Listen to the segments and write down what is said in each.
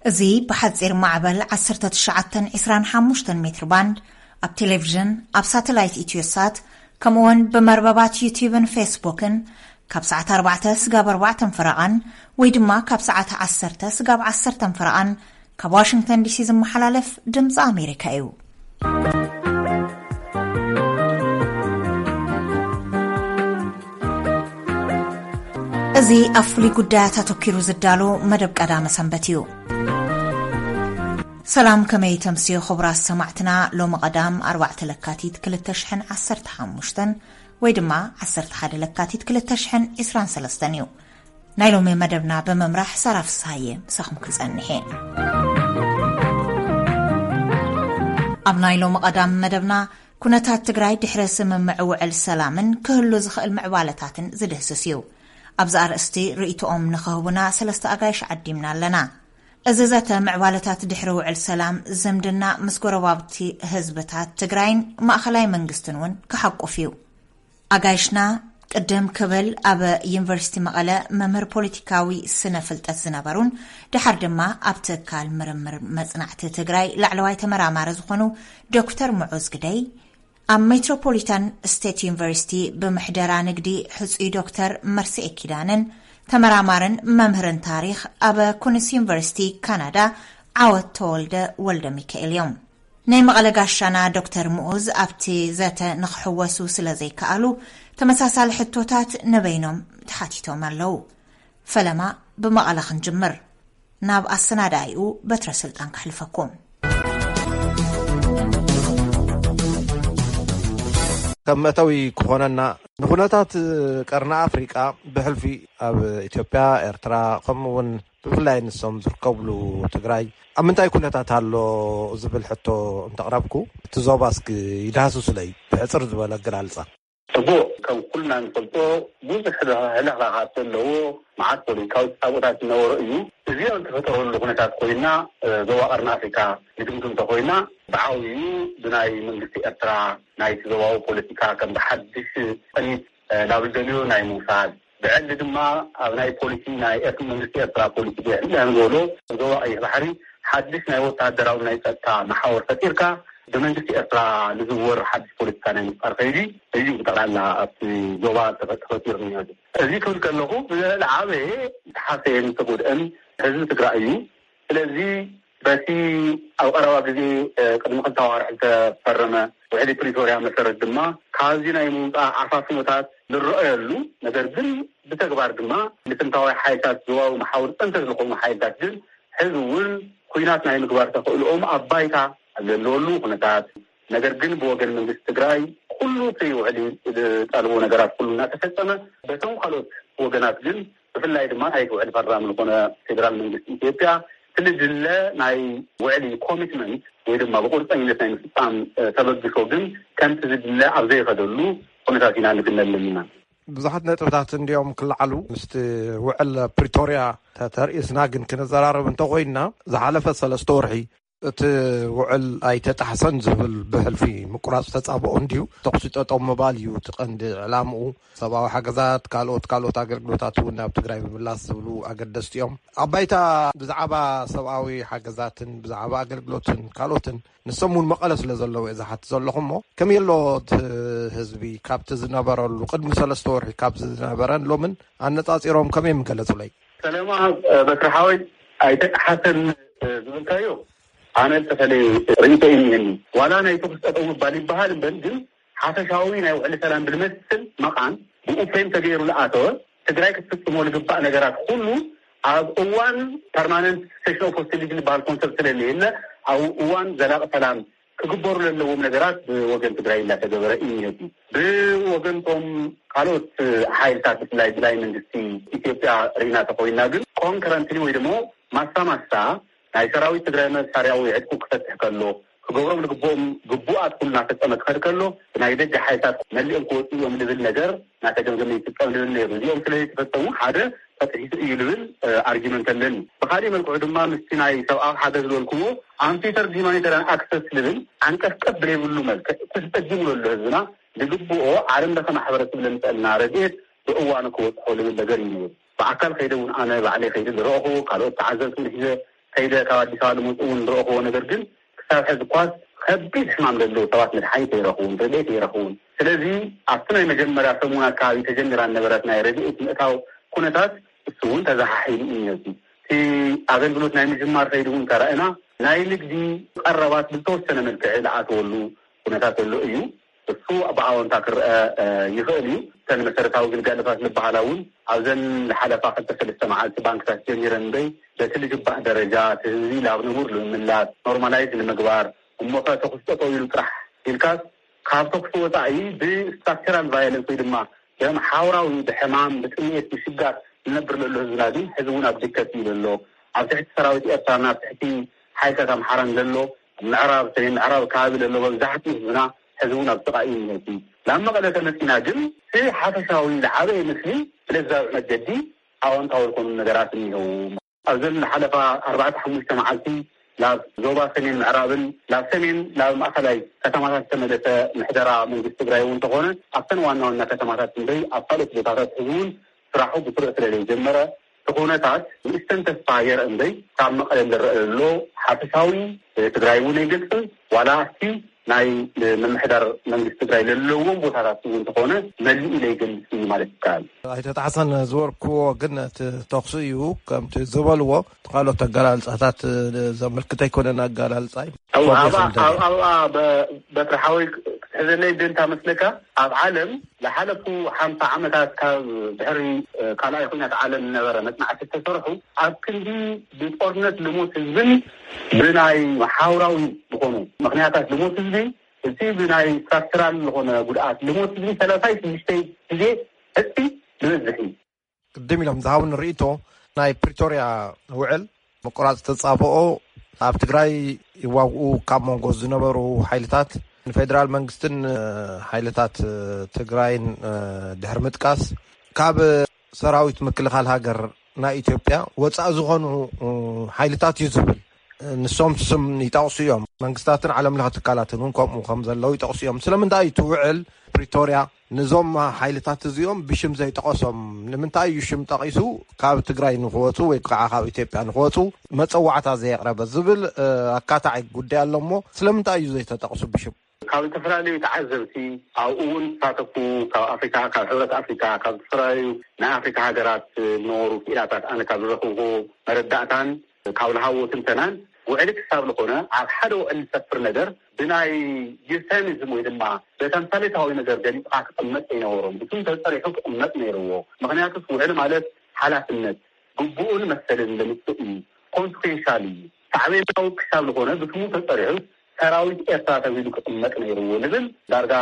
እዚ ብሓጺር ማዕበል ዓሰርተ ትሽዓተ ዕስራን ሓሙሽተን ሜትር ባንድ፣ ኣብ ቴሌቪዥን፣ ኣብ ሳተላይት ኢትዮሳት፣ ከምኡውን ብመርበባት ዩቲዩብን ፌስቡክን ካብ ሰዓት ኣርባዕተ ስጋብ ኣርባዕተን ፈረቓን ወይ ድማ ካብ ሰዓት ዓሰርተ ስጋብ ዓሰርተን ፈረቓን ካብ ዋሽንግተን ዲሲ ዝመሓላለፍ ድምፂ ኣሜሪካ እዩ። እዚ ኣብ ፍሉይ ጉዳያት ኣተኲሩ ዝዳሎ መደብ ቀዳመ ሰንበት እዩ። ሰላም፣ ከመይ ተምስዮ ክቡራት ሰማዕትና? ሎሚ ቀዳም ኣርባዕተ ለካቲት ክልተ ሽሕን ዓሰርተ ሓሙሽተን ወይ ድማ ዓሰርተ ሓደ ለካቲት ክልተ ሽሕን ዕስራን ሰለስተን እዩ። ናይ ሎሚ መደብና ብምምራሕ ሳራ ፍስሃየ ምሳኹም ክጸንሕ እየ። ኣብ ናይ ሎሚ ቀዳም መደብና ኩነታት ትግራይ ድሕሪ ስምምዕ ውዕል ሰላምን ክህሉ ዝኽእል ምዕባለታትን ዝድህስስ እዩ። ኣብዚ ኣርእስቲ ርእይቶኦም ንኽህቡና ሰለስተ ኣጋይሽ ዓዲምና ኣለና። እዚ ዘተ ምዕባለታት ድሕሪ ውዕል ሰላም ዝምድና ምስ ጎረባብቲ ህዝብታት ትግራይን ማእኸላይ መንግስትን እውን ክሓቁፍ እዩ። ኣጋይሽና ቅድም ክብል ኣብ ዩኒቨርሲቲ መቐለ መምህር ፖለቲካዊ ስነ ፍልጠት ዝነበሩን ድሓር ድማ ኣብ ትካል ምርምር መጽናዕቲ ትግራይ ላዕለዋይ ተመራማሪ ዝኾኑ ዶክተር ሙዑዝ ግደይ፣ ኣብ ሜትሮፖሊታን ስቴት ዩኒቨርሲቲ ብምሕደራ ንግዲ ሕጹይ ዶክተር መርስኤ ኪዳነን ተመራማርን መምህርን ታሪኽ ኣብ ኩንስ ዩኒቨርሲቲ ካናዳ ዓወት ተወልደ ወልደ ሚካኤል እዮም። ናይ መቐለ ጋሻና ዶክተር ምኡዝ ኣብቲ ዘተ ንኽሕወሱ ስለ ዘይከኣሉ፣ ተመሳሳሊ ሕቶታት ንበይኖም ተሓቲቶም ኣለዉ። ፈለማ ብመቐለ ክንጅምር፣ ናብ ኣሰናዳኢኡ በትረ ስልጣን ከሕልፈኩም። ከም መእተዊ ክኾነና፣ ንኹነታት ቀርኒ ኣፍሪቃ ብሕልፊ ኣብ ኢትዮጵያ፣ ኤርትራ፣ ከምኡ እውን ብፍላይ ንሶም ዝርከብሉ ትግራይ ኣብ ምንታይ ኩነታት ኣሎ ዝብል ሕቶ እንተቕረብኩ፣ እቲ ዞባ እስኪ ይድሃስሱለይ ብሕጽር ዝበለ ኣገላልጻ። ጽቡቕ፣ ከም ኩልና ንፈልጦ ብዙሕ ህለኽላኻት ዘለዎ፣ መዓት ፖለቲካዊ ተጻብኦታት ዝነበሮ እዩ። እዚ ኣብ ዝተፈጠረሉ ኩነታት ኮይና፣ እ፣ ዞባ ቀርኒ ኣፍሪካ ንግምት እንተኮይና፣ ብዓብዩ ብናይ መንግስቲ ኤርትራ ናይቲ ዞባዊ ፖለቲካ ከም ብሓድሽ ቅኒት፣ እ፣ ናብ ዝደልዮ ናይ ምውሳድ፣ ብዕሊ ድማ ኣብ ናይ ፖሊሲ ናይ ኤርት-፣ መንግስቲ ኤርትራ ፖሊሲ ብዕሊ ንዝበሎ ዞባ ቀይሕ ባሕሪ ሓድሽ ናይ ወታደራዊ ናይ ጸጥታ መሓወር ፈጢርካ ብመንግስቲ ኤርትራ ንዝወር ሓድሽ ፖለቲካ ናይ ምፍጣር ከይዲ እዩ ብጠቕላላ ኣብቲ ዞባ ተፈ-፣ ተፈጢሩ ነይሩ። እዚ ክብል ከለኹ ብዝለዓበየ ዝተሓሰየን ዝተጎድአን ህዝቢ ትግራይ እዩ። ስለዚ በቲ ኣብ ቀረባ ግዜ፣ እ፣ ቅድሚ ክልተ ኣዋርሕ ዝተፈረመ ውዕሊ ፕሪቶርያ መሰረት ድማ ካብዚ ናይ ምውፃእ ዓፋፍኖታት ዝረኣየሉ፣ ነገር ግን ብተግባር ድማ ልፍንታዊ ሓይልታት ዞባዊ መሓውር ጠንቂ ዝኾኑ ሓይልታት ግን ሕዚ እውን ኩናት ናይ ምግባር ተኽእልኦም ኣብ ባይታ ኣብ ዘለወሉ ኩነታት፣ ነገር ግን ብወገን መንግስቲ ትግራይ ኩሉ እቲ ውዕሊ ዝጠልቦ ነገራት ኩሉ እናተፈጸመ፣ በቶም ካልኦት ወገናት ግን ብፍላይ ድማ ናይቲ ውዕሊ ፈራሚ ዝኾነ ፌደራል መንግስቲ ኢትዮጵያ እቲ ዝድለ ናይ ውዕሊ ኮሚትመንት ወይ ድማ ብቁርፀኝነት ናይ ምፍፃም፣ እ፣ ተበግሶ ግን ከምቲ ዝድለ ኣብ ዘይኸደሉ ኩነታት ኢና ንግነ ኣለና። ብዙሓት ነጥብታት እንዲዮም ክለዓሉ ምስቲ ውዕል ፕሪቶርያ ተ-፣ ተርእስና ግን ክንዘራረብ እንተኾይንና፣ ዝሓለፈ ሰለስተ ወርሒ እቲ ውዕል ኣይተጣሕሰን ዝብል ብሕልፊ ምቁራፅ ተፃብኦ እንድዩ። ተኹሲ ጠጠው ምባል እዩ እቲ ቀንዲ ዕላምኡ። ሰብኣዊ ሓገዛት፣ ካልኦት፣ ካልኦት ኣገልግሎታት እውን ናብ ትግራይ ምምላስ ዝብሉ ኣገደስቲ እዮም። ኣብ ባይታ ብዛዕባ ሰብኣዊ ሓገዛትን ብዛዕባ ኣገልግሎትን ካልኦትን ንሶም እውን መቐለ ስለ ዘለዉ እየ ዝሓትት ዘለኹ እሞ፣ ከመይ ኣሎ እቲ ህዝቢ ካብቲ ዝነበረሉ ቅድሚ ሰለስተ ወርሒ ካብዚ ዝነበረን ሎምን ኣነፃፂሮም ከመይ ምገለፁለይ? ሰለማ፣ እ፣ በትሪ ሓወይ፣ ኣይተጣሓሰን፣ እ፣ ዝብልካዮ ኣነ ዝተፈለየ ርእይቶ እዩ እኒሀኒ። ዋላ ናይ ተኹሲ ጠጠው ምባል ይበሃል እምበር፣ ግን ሓፈሻዊ ናይ ውዕሊ ሰላም ብልመስል መቓን ብኡ ፍሬም ተገይሩ ዝኣተወ፣ ትግራይ ክትፍጽሞ ዝግባእ ነገራት ኩሉ ኣብ እዋን ፐርማነንት ሴሽን ኦፍ ሆስቲሊቲ ዝበሃል ኮንሰፕት ስለዘየለ፣ ኣብ እዋን ዘላቂ ሰላም ክግበሩ ዘለዎም ነገራት ብወገን ትግራይ እናተገበረ እዩ ነቲ። ብወገንቶም ካልኦት ሓይልታት ብፍላይ ብላይ መንግስቲ ኢትዮጵያ ርኢና ተኮይና ግን ኮንከረንትሊ ወይ ደሞ ማሳ ማሳ ናይ ሰራዊት ትግራይ መሳርያዊ ዕጥቁ ክፈትሕ ከሎ፣ ክገብሮም ዝግብኦም ግቡኣት ኩሉ እናፈጸመ ክኸድ ከሎ፣ ናይ ደገ ሓይልታት መሊኦም ክወፁ እዮም ዝብል ነገር እናተገምገመ ይፍጸም ዝብል ነይሩ። እዚኦም ስለ ዘይተፈጸሙ ሓደ ተጥሒሱ እዩ ዝብል፣ እ፣ ኣርጊመንት ኣለኒ። ብኻሊእ መልክዑ ድማ ምስቲ ናይ ሰብኣዊ ሓገዝ ዝበልኩዎ ኣምፊተር ሂማኒታርያን ኣክሰስ ዝብል ዓንቀፍቀፍ ብለይብሉ መልክዕ እቲ ዝጸጊሙ ዘሎ ህዝብና ዝግብኦ ዓለም ለኸ ማሕበረሰብ ለምጸልና ረድኤት ብእዋኑ ክበጽሖ ዝብል ነገር እዩ ነይሩ። ብኣካል ከይደ እውን ኣነ ባዕለይ ከይደ ዝረእኹ፣ ካልኦት ተዓዘብቲ እውን ሒዘ ከይደ ካብ ኣዲስ ኣበባ ዝመፁ እውን ዝረእኽዎ ነገር ግን ክሳብ ሕዚ እኳስ ከቢድ ሕማም ዘለዉ ሰባት መድሓኒት ኣይረኽቡን፣ ረድኤት ኣይረኽቡን። ስለዚ ኣብቲ ናይ መጀመርያ ሰሙን ኣካባቢ ተጀሚራ ዝነበረት ናይ ረድኤት ምእታው ኩነታት እሱ እውን ተዘሓሒሉ እዩ ነቲ እቲ ኣገልግሎት ናይ ምጅማር ከይዲ እውን ተረእና ናይ ንግዲ ቀረባት ብዝተወሰነ መልክዕ ዝኣተወሉ ኩነታት ዘሎ እዩ። እሱ ብኣወንታ ክረአ ይኽእል እዩ። እተን መሰረታዊ ግልጋሎታት ዝበሃላ እውን ኣብዘን ዝሓለፋ ክልተ ሰለስተ መዓልቲ ባንክታት ጀሚረን እምበይ በቲ ዝግባእ ደረጃ እቲ ህዝቢ ናብ ንቡር ንምምላስ ኖርማላይዝ ንምግባር እሞ ከ ተኹስ ጠጠው ኢሉ ጥራሕ ኢልካስ ካብ ተኹሲ ወፃኢ ብስትራክቸራል ቫዮለንስ ወይ ድማ ብሓውራዊ ብሕማም ብጥሜት ብሽጋር ዝነብር ዘሎ ህዝብና ግን ሕዚ እውን ኣብ ድከት እዩ ዘሎ። ኣብ ትሕቲ ሰራዊት ኤርትራና ኣብ ትሕቲ ሓይልታት ኣምሓራን ዘሎ ምዕራብ ሰሜን ምዕራብ ከባቢ ዘሎ መብዛሕትኡ ህዝብና ሕዚ እውን ኣብ ጥቓ እዩ እኒሀቲ። ናብ መቐለ ተመፂና ግን እቲ ሓፈሻዊ ዝዓበየ ምስሊ ብለዛዊ መገዲ ኣወንታዊ ዝኾኑ ነገራት እኒሀው። ኣብዘን ዝሓለፋ ኣርባዕተ ሓሙሽተ መዓልቲ ናብ ዞባ ሰሜን ምዕራብን ናብ ሰሜን ናብ ማእኸላይ ከተማታት ዝተመለሰ ምሕደራ መንግስቲ ትግራይ እውን እንተኾነ ኣብተን ዋና ዋና ከተማታት እምበይ ኣብ ካልኦት ቦታታት ሕዚ እውን ስራሑ ብስሩዕ ስለ ዘይጀመረ እቲ ኩነታት ንእሽተን ተስፋ የርኢ እምበይ ካብ መቐለ ዝረአ ዘሎ ሓፈሻዊ ትግራይ እውን ኣይገልፅን ዋላ ኣብቲ ናይ ምምሕዳር መንግስቲ ትግራይ ዘለዎም ቦታታት እውን እንተኾነ መሊኡ ዘይገልፅ እዩ ማለት ይከኣል። ኣይተጣሕሰን ዝበልክዎ ግን እቲ ተኽሲ እዩ ከምቲ ዝበልዎ ካልኦት ኣገላልፃታት ዘመልክት ኣይኮነን ኣገላልፃይ። ኣብኣ በትሪ ሓወይ ክትሕዘለይ ደንታ መስለካ ኣብ ዓለም ዝሓለፉ ሓምሳ ዓመታት ካብ ድሕሪ ካልኣይ ኩናት ዓለም ዝነበረ መፅናዕቲ ዝተሰርሑ ኣብ ክንዲ ብጦርነት ልሞት ህዝብን ብናይ ሓውራዊ ዝኾኑ ምክንያታት ልሞት ህዝቢ እቲ ብናይ ስትራክቸራል ዝኾነ ጉድኣት ልሞት ህዝቢ ሰላሳይ ሽዱሽተ ግዜ ዕፅፊ ዝበዝሕ እዩ። ቅድም ኢሎም ዝሃቡን ርእቶ ናይ ፕሪቶርያ ውዕል ምቁራፅ ተፃብኦ ኣብ ትግራይ ይዋግኡ ካብ መንጎ ዝነበሩ ሓይልታት ንፌደራል መንግስትን ሓይልታት ትግራይን ድሕሪ ምጥቃስ ካብ ሰራዊት ምክልኻል ሃገር ናይ ኢትዮጵያ ወፃኢ ዝኾኑ ሓይልታት እዩ ዝብል። ንሶም ስም ይጠቕሱ እዮም። መንግስታትን ዓለም ለኸ ትካላትን እውን ከምኡ ከም ዘለዉ ይጠቕሱ እዮም። ስለምንታይ እዩ እቲ ውዕል ፕሪቶርያ ንዞም ሓይልታት እዚኦም ብሽም ዘይጠቐሶም? ንምንታይ እዩ ሽም ጠቒሱ ካብ ትግራይ ንክወፁ ወይ ከዓ ካብ ኢትዮጵያ ንክወፁ መፀዋዕታ ዘየቕረበ ዝብል ኣካታዒ ጉዳይ ኣሎ እሞ ስለምንታይ እዩ ዘይተጠቕሱ ብሽም? ካብ ዝተፈላለዩ ተዓዘብቲ ኣብኡ እውን ዝሳተፉ ካብ ኣፍሪካ ካብ ሕብረት ኣፍሪካ ካብ ዝተፈላለዩ ናይ ኣፍሪካ ሃገራት ዝነበሩ ክኢላታት ኣነ ካብ ዝረኽብዎ መረዳእታን ካብ ዝሃብዎ ትንተናን ውዕሊ ክሳብ ዝኾነ ኣብ ሓደ ውዕሊ ዝሰፍር ነገር ብናይ ዩተኒዝም ወይ ድማ በተምሳሌታዊ ነገር ገሊፅካ ክቕመጥ ኣይነበሮም ብስም ተፀሪሑ ክቕመጥ ነይርዎ። ምክንያቱስ ውዕሊ ማለት ሓላፍነት ግቡኡን መሰልን ዘምፅእ እዩ። ኮንስኮንሻል እዩ። ሳዕቤናዊ ክሳብ ዝኾነ ብስሙ ተፀሪሑ ሰራዊት ኤርትራ ተቢሉ ክቕመጥ ነይርዎ ዝብል ዳርጋ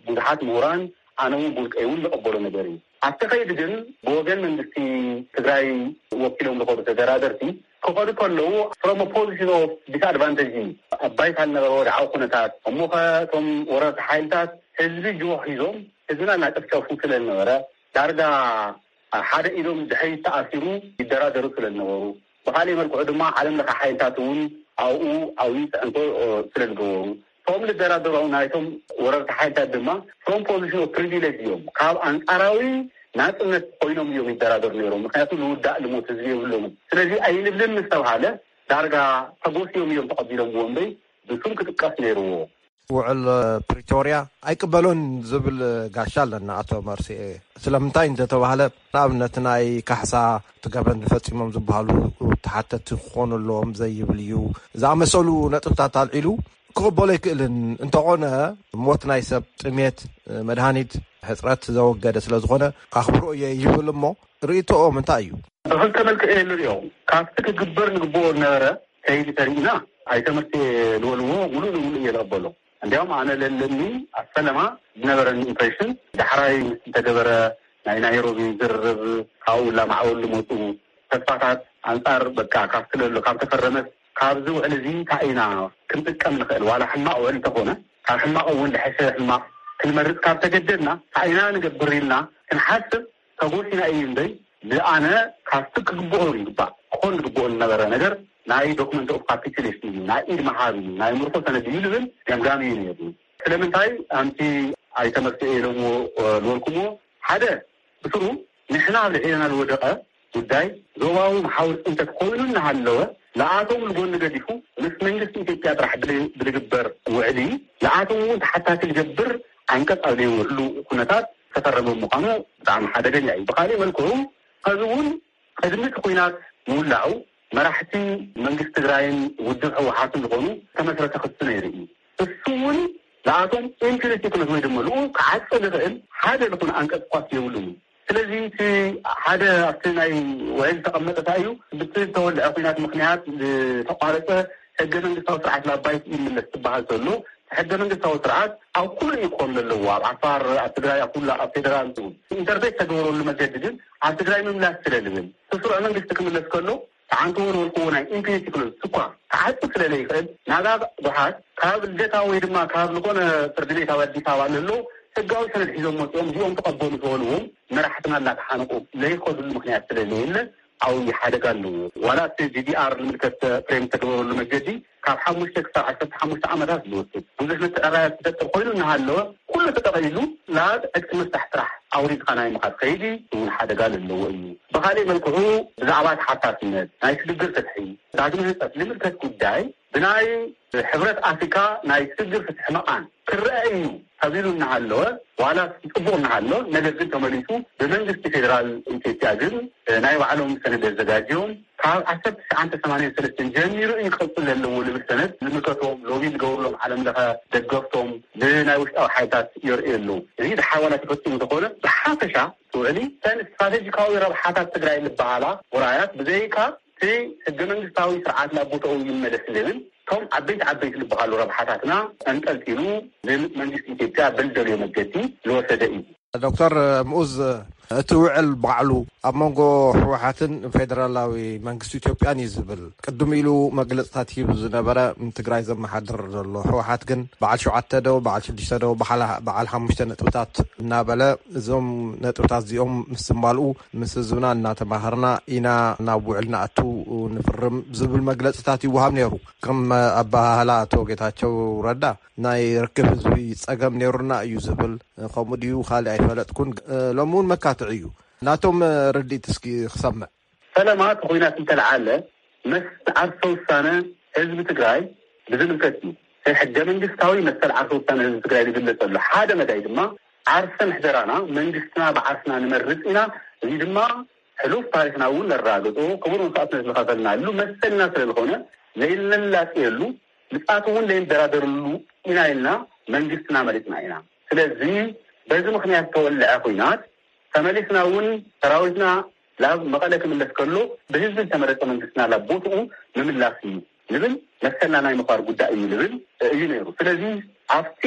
ብዙሓት ምሁራን ኣነ እውን ብውልቀይ እውን ዝቐበሎ ነገር እዩ። ኣብቲ ከይዲ ግን ብወገን መንግስቲ ትግራይ ወኪሎም ዝኾኑ ተደራደርቲ ክኸዱ ከለዉ from position of disadvantage እዩ። ኣብ ባይታ ዝነበረ ወድዓዊ ኩነታት እሞ ከ እቶም ወረርቲ ሓይልታት ህዝቢ ጅሆ ሒዞም ህዝብና እናጨፍጨፉ ስለ ዝነበረ ዳርጋ ሓደ ኢዶም ድሕሪት ተኣሲሩ ይደራደሩ ስለ ዝነበሩ ብካሊእ መልክዑ ድማ ዓለም ለኸ ሓይልታት እውን ኣብኡ ዓብዪ ፅዕንቶ ስለ ዝገበሩ እቶም ዝደራደሩ ናይቶም ወረርቲ ሓይልታት ድማ from position of privilege እዮም ካብ ኣንፃራዊ ናፅነት ኮይኖም እዮም ይደራደሩ ነይሮም። ምክንያቱ ዝውዳእ ልሞት ህዝቢ የብሎምን። ስለዚ ኣይንብልን ምስ ተብሃለ ዳርጋ ተጎስዮም እዮም ተቐቢሎምዎ እምበይ ብስም ክጥቀስ ነይርዎ። ውዕል ፕሪቶርያ ኣይቅበሎን ዝብል ጋሻ ኣለና ኣቶ መርስኤ። ስለምንታይ እንተተባህለ ንኣብነት ናይ ካሕሳ እቲ ገበን ዝፈፂሞም ዝበሃሉ ተሓተቲ ክኾኑ ኣለዎም ዘይብል እዩ ዝኣመሰሉ ነጥብታት ኣልዒሉ ክቕበሎ ኣይክእልን። እንተኾነ ሞት ናይ ሰብ ጥሜት መድሃኒት ሕፅረት ዘወገደ ስለዝኾነ ኣኽብሮ እየ ይብል እሞ ርእይቶኦም እንታይ እዩ? ብክልተ መልክዕ እየ ንሪኦ። ካብቲ ክግበር ንግብኦ ዝነበረ ከይዲ ተሪእና ኣይተመርትየ ዝበልዎ ሙሉእ ንሙሉእ እየ ዝቕበሎ። እንዲያውም ኣነ ለለኒ ኣብ ፈለማ ዝነበረኒ ኢምፕሬሽን ዳሕራይ ምስ ዝተገበረ ናይ ናይሮቢ ዝርርብ ካብኡ ላማዕበሉ ዝመፁ ተስፋታት ኣንፃር በቃ ካብቲ ለሎ ካብ ተፈረመስ ካብዚ ውዕል እዚ እንታይ ኢና ክንጥቀም ንኽእል ዋላ ሕማቕ ውዕል እንተኾነ ካብ ሕማቕ እውን ዝሐሸ ሕማቕ ክንመርፅ ካብ ተገደድና እንታይ ኢና ንገብር ኢልና ክንሓስብ ተጎሲና እዩ እምበይ ብኣነ ካብቲ ክግብኦ ይግባእ ክኾን ዝግብኦ ዝነበረ ነገር ናይ ዶክመንት ኦፍ ካፒቱሌሽን እዩ ናይ ኢድ መሃብ እዩ ናይ ምርኮ ሰነድ እዩ ዝብል ገምጋም እዩ ነይሩ። ስለምንታይ ኣንቲ ኣይተመርትኦ ኢሎምዎ ዝበልኩምዎ ሓደ ብስሩ ንሕና ኣብ ልዕሌና ዝወደቐ ጉዳይ ዞባዊ መሓውር ፅንተት ኮይኑ እናሃለወ ንኣቶም ንጎኒ ገዲፉ ምስ መንግስቲ ኢትዮጵያ ጥራሕ ብል- ብልግበር ውዕሊ ንኣቶም እውን ተሓታቲ ዝገብር ዓንቀፅ ኣብ ዘይውዕሉ ኩነታት ዝተፈረመ ምዃኑ ብጣዕሚ ሓደገኛ እዩ። ብካሊእ መልክዑ ከዚ እውን ቅድሚ እቲ ኩናት ምውላዑ መራሕቲ መንግስቲ ትግራይን ውድብ ህወሓትን ዝኾኑ ዝተመስረተ ክሲ ነይሩ እዩ። እሱ እውን ንኣቶም ኢምፒኒቲ ክነት ወይ ድማ ልኡ ክዓጽ ዝኽእል ሓደ ዝኾነ ኣንቀጽ ኳስ የብሉን። ስለዚ እቲ ሓደ ኣብቲ ናይ ውዕል ዝተቐመጠ እንታይ እዩ፣ ብቲ ዝተወልዐ ኩናት ምክንያት ዝተቋረፀ ሕገ መንግስታዊ ስርዓት ናብ ባይት ይምለስ ትበሃል ዘሎ። ሕገ መንግስታዊ ስርዓት ኣብ ኩሉ እዩ ክኾን ዘለዎ፣ ኣብ ዓፋር፣ ኣብ ትግራይ፣ ኣብ ኩሉ ኣብ ፌደራል ኢንተርፌስ ተገበረሉ መገዲ ግን ኣብ ትግራይ ምምላስ ስለ ዝብል እቲ ስሩዕ መንግስቲ ክምለስ ከሎ ተዓንትዎ ዝበልክዎ ናይ ኢምፒኒቲ ክሎዝ እኳ ክዓጽ ስለ ዘይኽእል ናጋ ጉሓት ካብ ልደታ ወይ ድማ ካብ ዝኾነ ፍርዲ ቤት ኣብ ኣዲስ ኣበባ ንህሎ ህጋዊ ሰነድ ሒዞም መፅኦም እዚኦም ተቐበሉ ዝበልዎም መራሕትና እናተሓነቁ ዘይኸዱሉ ምክንያት ስለ ዘየለ ዓብዪ ሓደጋ ኣለዎ። ዋላ እቲ ዲዲኣር ንምልከት ፍሬም ተገበረሉ መገዲ ካብ ሓሙሽተ ክሳብ ዓሰርተ ሓሙሽተ ዓመታት ዝወስድ ብዙሕ ምትዕራያት ዝፈጥር ኮይኑ እናሃለወ ኩሉ ተጠቕሊሉ ናብ ዕጥቂ ምፍታሕ ስራሕ ኣውሪድካ ናይ ምኻድ ከይዲ እውን ሓደጋ ዘለዎ እዩ። ብካሊእ መልክዑ ብዛዕባ ተሓታትነት ናይ ሽግግር ፍትሒ ዳግመ ህንፀት ዝምልከት ጉዳይ ብናይ ሕብረት ኣፍሪካ ናይ ሽግግር ፍትሒ መቓን ክረአ እዩ ተቢሉ እናሃለወ ዋላ ፅቡቕ እናሃሎ ነገር ግን ተመሊሱ ብመንግስቲ ፌደራል ኢትዮጵያ ግን ናይ ባዕሎም ሰነድ ኣዘጋጅዮም ካብ ዓሰርተ ትሽዓተ ሰማንያን ሰለስተን ጀሚሩ እዩ ክቕፅል ዘለዎ ዝብል ሰነድ ዝምልከቶም ሎቢ ዝገብርሎም ዓለም ለኸ ደገፍቶም ብናይ ውሽጣዊ ሓይልታት የርእዩ ኣለዉ። እዚ ድሓር ዋላ ተፈፂሙ እንተኾነ ብሓፈሻ ትውዕሊ ተን ስትራቴጂካዊ ረብሓታት ትግራይ ዝበሃላ ውራያት ብዘይካ እቲ ህገ መንግስታዊ ስርዓት ናብ ቦታኡ ይመለስ ዝብል እቶም ዓበይቲ ዓበይቲ ዝበሃሉ ረብሓታትና ኣንጠልጢሉ ንመንግስቲ ኢትዮጵያ ብልደልዮ መገዲ ዝወሰደ እዩ። ዶክተር ምኡዝ እቲ ውዕል ባዕሉ ኣብ መንጎ ህወሓትን ፌደራላዊ መንግስቲ ኢትዮጵያን እዩ ዝብል ቅድም ኢሉ መግለፅታት ሂቡ ዝነበረ ንትግራይ ዘመሓድር ዘሎ ህወሓት ግን በዓል ሸውዓተ ዶ በዓል ሽዱሽተ ዶ በዓል ሓሙሽተ ነጥብታት እናበለ እዞም ነጥብታት እዚኦም ምስ ዝማልኡ ምስ ህዝብና እናተማሃርና ኢና ናብ ውዕል ንኣቱ ንፍርም ዝብል መግለፅታት ይወሃብ ነይሩ። ከም ኣባሃህላ ኣቶ ጌታቸው ረዳ ናይ ርክብ ህዝቢ ፀገም ነይሩና እዩ ዝብል ከምኡ ድዩ ካልእ ኣይፈለጥኩን። ሎሚ እውን መካትዒ እዩ ናቶም ርድኢት እስኪ ክሰምዕ። ፈለማ እቲ ኩናት እንተለዓለ መሰል ዓርሰ ውሳነ ህዝቢ ትግራይ ብዝምልከት እዩ። ሕገ መንግስታዊ መሰል ዓርሰ ውሳነ ህዝቢ ትግራይ ዝግለጸሉ ሓደ መዳይ ድማ ዓርሰ ምሕደራና መንግስትና ብዓርስና ንመርጽ ኢና። እዚ ድማ ሕሉፍ ታሪክና እውን ነራግጾ ክቡር መስዋእትነት ዝኸፈልናሉ መሰልና ስለ ዝኾነ ዘይንላጽየሉ ምጽኣቱ እውን ዘይንደራደርሉ ኢና ኢልና መንግስትና መሪጽና ኢና። ስለዚ በዚ ምክንያት ዝተወልዐ ኩናት ተመሊስና እውን ሰራዊትና ናብ መቐለ ክምለስ ከሎ ብህዝቢ ዝተመረፀ መንግስትና ናብ ቦትኡ ምምላስ እዩ ዝብል መሰልና ናይ ምኽባር ጉዳይ እዩ ዝብል እዩ ነይሩ። ስለዚ ኣብቲ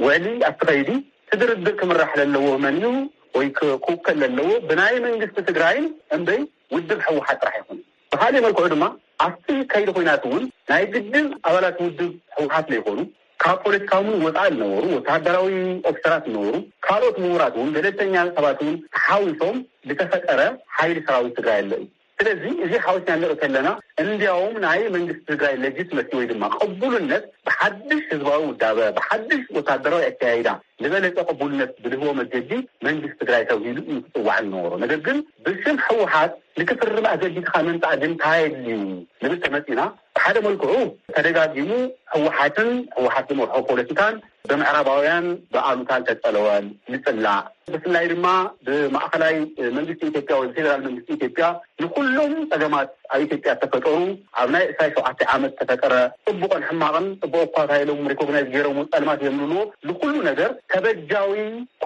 ውዕሊ ኣብቲ ከይዲ እቲ ድርድር ክምራሕ ለለዎ መን እዩ ወይ ክውከል ለለዎ ብናይ መንግስቲ ትግራይን እምበይ ውድብ ህወሓት ጥራሕ ይኹን። ብካሊእ መልክዑ ድማ ኣብቲ ከይዲ ኮይናት እውን ናይ ግድን ኣባላት ውድብ ህወሓት ለይኮኑ ካብ ፖለቲካዊ እውን ወፃኢ ዝነበሩ ወተሃደራዊ ኦፊሰራት ዝነበሩ ካልኦት ምሁራት እውን ገለልተኛ ሰባት እውን ተሓዊሶም ዝተፈጠረ ሓይሊ ሰራዊት ትግራይ ኣሎ እዩ። ስለዚ እዚ ሓዊስና ንርኢ ከለና እንዲያውም ናይ መንግስቲ ትግራይ ለጅትመሲ ወይ ድማ ቅቡልነት ብሓድሽ ህዝባዊ ውዳበ ብሓድሽ ወታደራዊ ኣካያይዳ ዝበለፀ ቅቡልነት ብልህቦ መገዲ መንግስቲ ትግራይ ተብሂሉ እዩ ክፅዋዕ ዝነበሮ። ነገር ግን ብሽም ህወሓት ንክፍርም ኣገዲድካ ምምፃእ ግን እንታይ ኣድልዩ ንብል ተመፂና ብሓደ መልክዑ ተደጋጊሙ ህወሓትን ህወሓት ዝመርሖ ፖለቲካን ብምዕራባውያን ብኣሉታ ዝተፀለወን ንፅላእ ብፍላይ ድማ ብማእኸላይ መንግስቲ ኢትዮጵያ ወይ ብፌደራል መንግስቲ ኢትዮጵያ ንኩሎም ፀገማት ኣብ ኢትዮጵያ ተፈጠሩ ኣብ ናይ ዕስራ ሸውዓተ ዓመት ተፈጠረ ፅቡቕን ሕማቕን ፅቡቕ እኳ ታይሎም ሪኮግናይዝ ገይሮም ፀልማት እዮም ንብልዎ ንኩሉ ነገር ተበጃዊ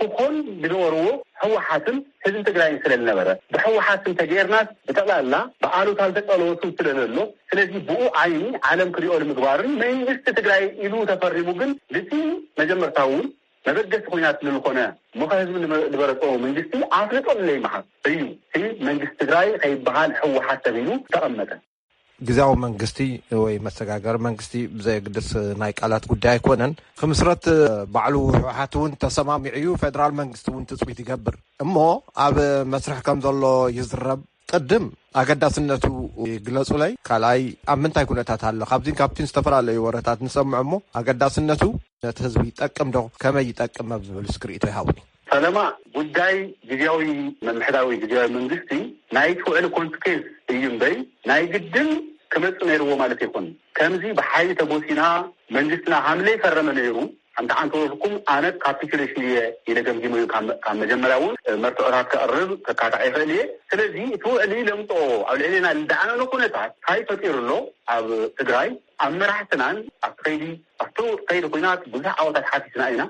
ክኾን ዝገበርዎ ህወሓትን ህዝቢ ትግራይን ስለ ዝነበረ ብህወሓት እንተገይርናስ ብጠቕላላ ብኣሉታ ዝተፀለወ ስም ስለ ዘሎ ስለዚ ብኡ ዓይኒ ዓለም ክሪኦ ንምግባርን መንግስቲ ትግራይ ኢሉ ተፈሪሙ ግን ልቲ መጀመርታ እውን መበገሲ ኩናት ንልኾነ ምኸ ህዝቢ ዝበረፀዎ መንግስቲ ኣፍልጦ ንለይመሃብ እዩ። እቲ መንግስቲ ትግራይ ከይበሃል ህወሓት ተቢሉ ተቐመጠ። ግዜያዊ መንግስቲ ወይ መሰጋገሪ መንግስቲ ብዘየግድስ ናይ ቃላት ጉዳይ ኣይኮነን ክምስረት ባዕሉ ህወሓት እውን ተሰማሚዑ እዩ። ፌደራል መንግስቲ እውን ትፅቢት ይገብር እሞ ኣብ መስርሕ ከም ዘሎ ይዝረብ። ቅድም ኣገዳስነቱ ግለፁለይ ካልኣይ ኣብ ምንታይ ኩነታት ኣሎ ካብዚን ካብቲን ዝተፈላለዩ ወረታት ንሰምዖ እሞ ኣገዳስነቱ ነቲ ህዝቢ ይጠቅም ዶ ከመይ ይጠቅም ኣብ ዝብል እስክሪእቶ ይሃውኒ። ፈለማ ጉዳይ ግዜያዊ ምምሕዳር ወይ ግዜያዊ መንግስቲ ናይ ትውዕል ኮንስኬንስ እዩ እምበይ ናይ ግድን ክመጽእ ነይርዎ ማለት ይኹን። ከምዚ ብሓይሊ ተጎሲና መንግስትና ሃምለ ይፈረመ ነይሩ። ሓንቲ ዓንተ ወርኩም ኣነ ካፒቱሌሽን እየ ኢለ ገምጊሞ እዩ። ካብ መ-፣ ካብ መጀመርያ እውን መርትዖታት ከቕርብ ከካታዕ ይኽእል እየ። ስለዚ እቲ ውዕሊ ለምፅኦ ኣብ ልዕሌና ልደዓነኖ ኩነታት እንታይ ፈጢሩ ኣሎ ኣብ ትግራይ? ኣብ መራሕትናን ኣብቲ ከይዲ ኣብቲ ከይዲ ኩናት ብዙሕ ዓወታት ሓቲትና ኢና።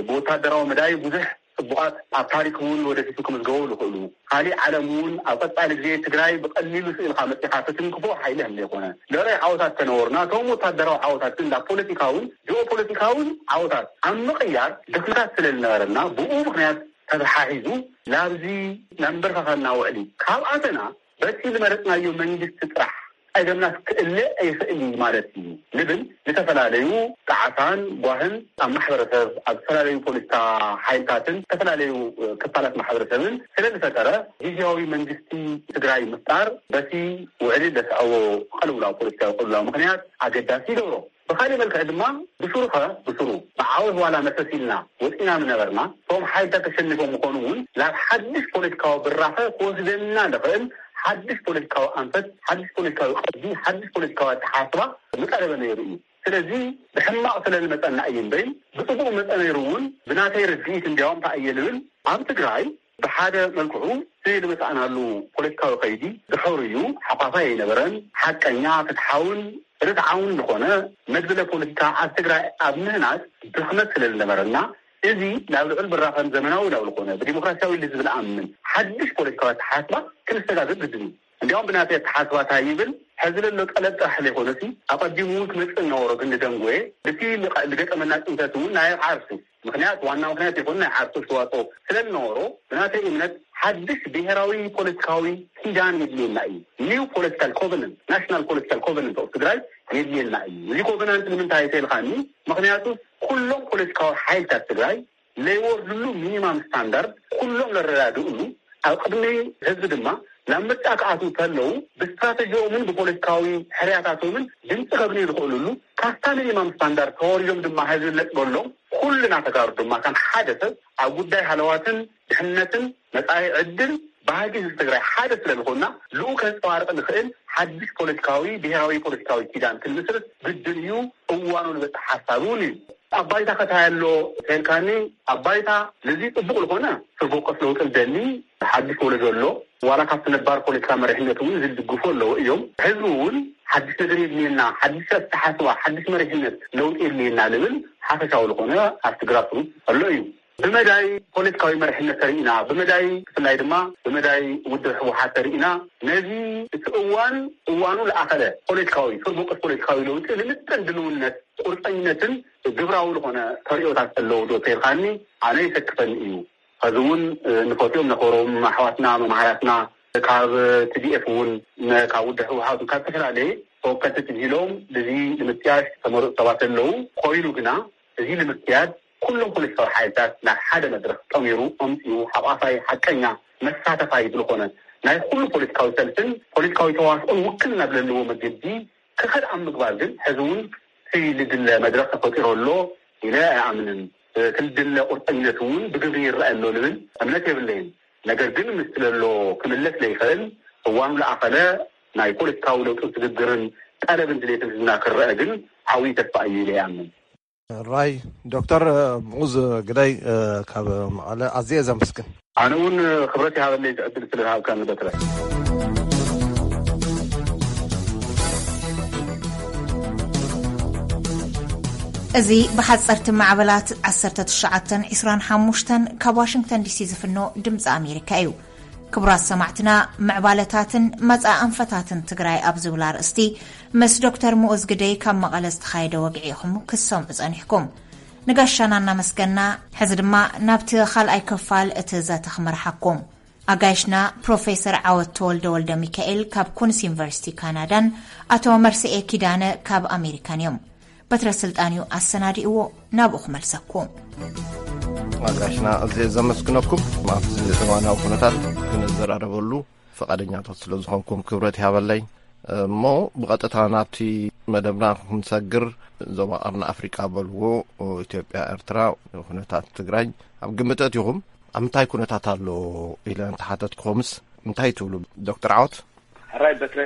ብወታደራዊ መዳይ ብዙሕ ጽቡቓት ኣብ ታሪክ እውን ወደፊቱ ክምዝገቡ ዝኽእሉ፣ ካሊእ ዓለም እውን ኣብ ቀጻሊ ግዜ ትግራይ ብቐሊሉ ስኢልካ መጺኻ ትትንክፎ ሓይሊ ከም ዘይኮነ፣ ልዕሊ ዓወታት ተነወሩና፣ እቶም ወታደራዊ ዓወታት ግን ናብ ፖለቲካውን ጂኦፖለቲካውን ዓወታት ኣብ ምቕያር ድኽመታት ስለ ዝነበረና፣ ብኡ ምኽንያት ተተሓሒዙ ናብዚ ናብ ምንበርካኸና ውዕሊ ካብ ኣተና፣ በቲ ዝመረጽናዮ መንግስቲ ጥራሕ ጸገምና ክእለ ኣይኽእል እዩ ማለት እዩ ንብል። ዝተፈላለዩ ጣዕሳን ጓህን ኣብ ማሕበረሰብ፣ ኣብ ዝተፈላለዩ ፖለቲካ ሓይልታትን ዝተፈላለዩ ክፋላት ማሕበረሰብን ስለ ዝፈጠረ፣ ግዝያዊ መንግስቲ ትግራይ ምፍጣር በቲ ውዕሊ ዘስዐቦ ቅልውላው፣ ፖለቲካዊ ቅልውላው ምኽንያት ኣገዳሲ ይገብሮ። ብኻሊእ መልክዕ ድማ ብሱሩ ኸ ብሱሩ ብዓወት ዋላ መሰስ ኢልና ወፂና ምነበርና፣ እቶም ሓይልታት ተሸኒፎም ምኾኑ እውን ናብ ሓድሽ ፖለቲካዊ ብራኸ ክወስደና ዝኽእል ሓድሽ ፖለቲካዊ ኣንፈት፣ ሓድሽ ፖለቲካዊ ቅዲ፣ ሓድሽ ፖለቲካዊ ኣተሓሳስባ ምቀረበ ነይሩ እዩ። ስለዚ ብሕማቕ ስለ ዝመፀና እዩ እምበይ ብፅቡቕ መፀ ነይሩ እውን። ብናተይ ርድኢት እንዲያውም እንታይ እየ ልብል፣ ኣብ ትግራይ ብሓደ መልክዑ እቲ ዝመፃእናሉ ፖለቲካዊ ከይዲ ድሑር እዩ፣ ሓፋፋይ ኣይነበረን፣ ሓቀኛ፣ ፍትሓውን ርትዓውን ዝኾነ መድብለ ፖለቲካ ኣብ ትግራይ ኣብ ምህናፅ ድኽመት ስለ ዝነበረና፣ እዚ ናብ ልዑል ብራኸን ዘመናዊ ናብ ዝኾነ ብዲሞክራሲያዊ ኢሉ ዝብል ኣምን ሓድሽ ፖለቲካዊ ኣተሓሳስባ ክንሰጋገር ግድን እዩ። እንዲያውም ብናተይ ኣተሓሳስባ እንታይ ይብል፣ ሕዚ ለሎ ጠለብ ጥራሕ ዘይኮነሲ ኣቐዲሙ እውን ክመፅእ እናወሮ ግን ንደንጎየ፣ እቲ ልቐ-፣ ዝገጠመና ፅንተት እውን ናይ ዓርሱ ምኽንያት፣ ዋና ምኽንያት ይኹን ናይ ዓርሱ ኣስተዋፅኦ ስለ ዝነበሮ፣ ብናተይ እምነት ሓድሽ ብሄራዊ ፖለቲካዊ ኪዳን የድልየና እዩ። ኒው ፖለቲካል ኮቨነንት፣ ናሽናል ፖለቲካል ኮቨነንት ኦፍ ትግራይ የድልየና እዩ። እዚ ኮቨናንት ንምንታይ ተልካኒ? ምኽንያቱ ኩሎም ፖለቲካዊ ሓይልታት ትግራይ ለይወርድሉ ሚኒማም ስታንዳርድ፣ ኩሎም ለረዳድእሉ፣ ኣብ ቅድሚ ህዝቢ ድማ ናብ ምርጫ ክኣትዉ ከለዉ ብስትራተጂኦምን ብፖለቲካዊ ሕርያታቶምን ድምፂ ከግንዩ ዝኽእሉሉ፣ ካብታ ሚኒማም ስታንዳርድ ተወሪዶም ድማ ህዝቢ ነጥበሎም፣ ኩልና ተጋሩ ድማ ከም ሓደ ሰብ ኣብ ጉዳይ ሃለዋትን ድሕነትን መጻኢ ዕድል ባህጊ ህዝቢ ትግራይ ሓደ ስለ ዝኾንና፣ ልኡ ከንጸባርቕ ንኽእል ሓድሽ ፖለቲካዊ፣ ብሄራዊ ፖለቲካዊ ኪዳን ክንምስርት ግድን እዩ፣ እዋኑ ዝበጽሕ ሓሳብ እውን እዩ። ኣብ ባይታ ከታይ ኣሎ ተልካኒ፣ ኣብ ባይታ ነዚ ጽቡቕ ዝኾነ ስር በቆስ ለውጢ ዝደሊ ሓድሽ ወለዶ ኣሎ። ዋላ ካብቲ ነባር ፖለቲካ መሪሕነት እውን ዝድግፉ ኣለዉ እዮም። ህዝቢ እውን ሓድሽ ነገር የድልየና፣ ሓድሽ ኣተሓስባ፣ ሓድሽ መሪሕነት ለውጢ የድልየና ልብል ሓፈሻዊ ዝኾነ ኣብቲ ግራስሩት ኣሎ እዩ። ብመዳይ ፖለቲካዊ መሪሕነት ተሪእና፣ ብመዳይ ብፍላይ ድማ ብመዳይ ውድብ ህወሓት ተሪእና፣ ነዚ እቲ እዋን እዋኑ ለኣኸለ ፖለቲካዊ፣ ስር በቆስ ፖለቲካዊ ለውጢ ልምጥን ድልውነት፣ ቁርፀኝነትን ግብራዊ ዝኾነ ተሪኦታት ኣለዉ ዶ ተይልካኒ፣ ኣነ ይሰክፈኒ እዩ። ኸዚ እውን ንፈትዮም ነኸሮም ኣሕዋትና መምሃራትና ካብ ቲ ዲ ኤፍ እውን፣ ካብ ውድብ ህወሓት ካብ ዝተፈላለየ ተወከልቲ ትብሂሎም ብዚ ንምጥያሽ ዝተመረፁ ሰባት ኣለዉ። ኮይኑ ግና እዚ ንምክያድ ኩሎም ፖለቲካዊ ሓይልታት ናብ ሓደ መድረኽ ጠሚሩ ኣምፂኡ ሓቋፋይ ሓቀኛ መሳተፋይ ብዝኾነ ናይ ኩሉ ፖለቲካዊ ሰልፍን ፖለቲካዊ ተዋስኦን ውክልና ብለለዎ መገዲ ክኸድ ኣብ ምግባር ግን ሕዚ እውን እቲ ልድለ መድረኽ ተፈጢሩ ኣሎ ኢለ ኣይኣምንን። እቲ ልድለ ቁርጠኝነት እውን ብግብሪ ይረኣይ ኣሎ ልብል እምነት የብለይን። ነገር ግን ምስቲ ለሎ ክምለስ ለይኽእል እዋኑ ለኣኸለ ናይ ፖለቲካዊ ለውጢ ስግግርን ጠለብን ድሌትን ህዝብና ክረአ ግን ዓብዪ ተስፋ እዩ ኢለ ይኣምን። ራይ ዶክተር ሙዝ ግዳይ ካብ መቐለ ኣዝየ ዘመስግን። ኣነ እውን ክብረት ይሃበለይ ዝዕድል ስለ ዝሃብካኒ በትረ። እዚ ብሓፀርቲ ማዕበላት ዓሰርተ ትሽዓተን ዕስራን ሓሙሽተን ካብ ዋሽንግተን ዲሲ ዝፍኖ ድምፂ ኣሜሪካ እዩ። ክቡራት ሰማዕትና፣ ምዕባለታትን መጻኢ ኣንፈታትን ትግራይ ኣብ ዝብል ኣርእስቲ ምስ ዶክተር ምኡዝ ግደይ ካብ መቐለ ዝተኻየደ ወግዒ ኢኹም ክትሰምዑ ጸኒሕኩም። ንጋሻና እናመስገና፣ ሕዚ ድማ ናብቲ ካልኣይ ክፋል እቲ ዘተ ክመርሓኩም። ኣጋይሽና ፕሮፌሰር ዓወት ተወልደ ወልደ ሚካኤል ካብ ኩንስ ዩኒቨርሲቲ ካናዳን ኣቶ መርስኤ ኪዳነ ካብ ኣሜሪካን እዮም። በትረ ስልጣን እዩ ኣሰናዲእዎ፣ ናብኡ ክመልሰኩም። ኣጋሽና ኣዝየ ዘመስግነኩም። ኣብዚ እዋናዊ ኩነታት ክንዘራረበሉ ፈቓደኛታት ስለ ዝኾንኩም ክብረት ይሃበለይ። እሞ ብቐጥታ ናብቲ መደብና ክንሰግር፣ ዞባ ቀርኒ ኣፍሪቃ በልዎ፣ ኢትዮጵያ፣ ኤርትራ፣ ኩነታት ትግራይ ኣብ ግምት ኣእቲኹም ኣብ ምንታይ ኩነታት ኣሎ ኢለ እንተሓተትኩምስ እንታይ ትብሉ ዶክተር ዓወት? ሕራይ በትረ፣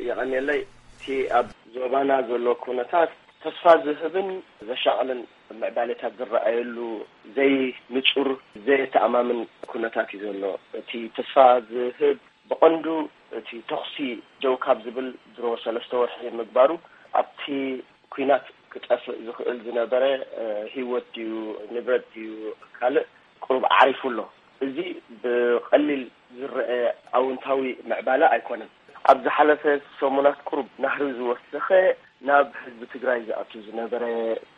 የቐንየለይ። እቲ እቲ ኣብ ዞባና ዘሎ ኩነታት ተስፋ ዝህብን ዘሻቕልን ምዕባለታት ዝረኣየሉ ዘይንጹር፣ ዘየተኣማምን ኩነታት እዩ ዘሎ። እቲ ተስፋ ዝህብ ብቐንዱ እቲ ተኹሲ ደው ካብ ዝብል ድሮ ሰለስተ ወርሒ ምግባሩ ኣብቲ ኲናት ክጠፍእ ዝኽእል ዝነበረ ህይወት ድዩ ንብረት ድዩ ካልእ ቁሩብ ዓሪፉ ኣሎ። እዚ ብቐሊል ዝረአ ኣውንታዊ ምዕባለ ኣይኮነን። ኣብ ዝሓለፈ ሰሙናት ቁሩብ ናህሪ ዝወሰኸ ናብ ህዝቢ ትግራይ ዝኣቱ ዝነበረ